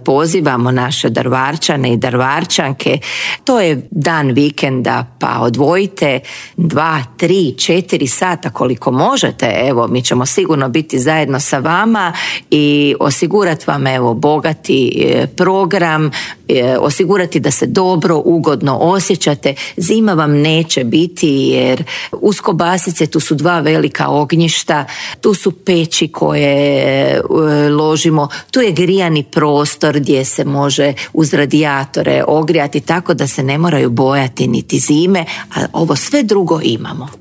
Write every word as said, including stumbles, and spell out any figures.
pozivamo naše Drvarčane i Drvarčanke. To je dan vikenda, pa odvojite dva, tri, četiri sata koliko možete. Evo, mi ćemo sigurno biti zajedno sa vama i osigurati vam evo bogati program, osigurati da se dobro, ugodno osjećate. Zima vam neće biti jer uz kobasice tu su dva velika ognjišta, tu su peći koje ložimo, tu je grijani prostor gdje se može uz radijatore ogrijati, tako da se ne moraju bojati niti zime, a ovo sve drugo imamo.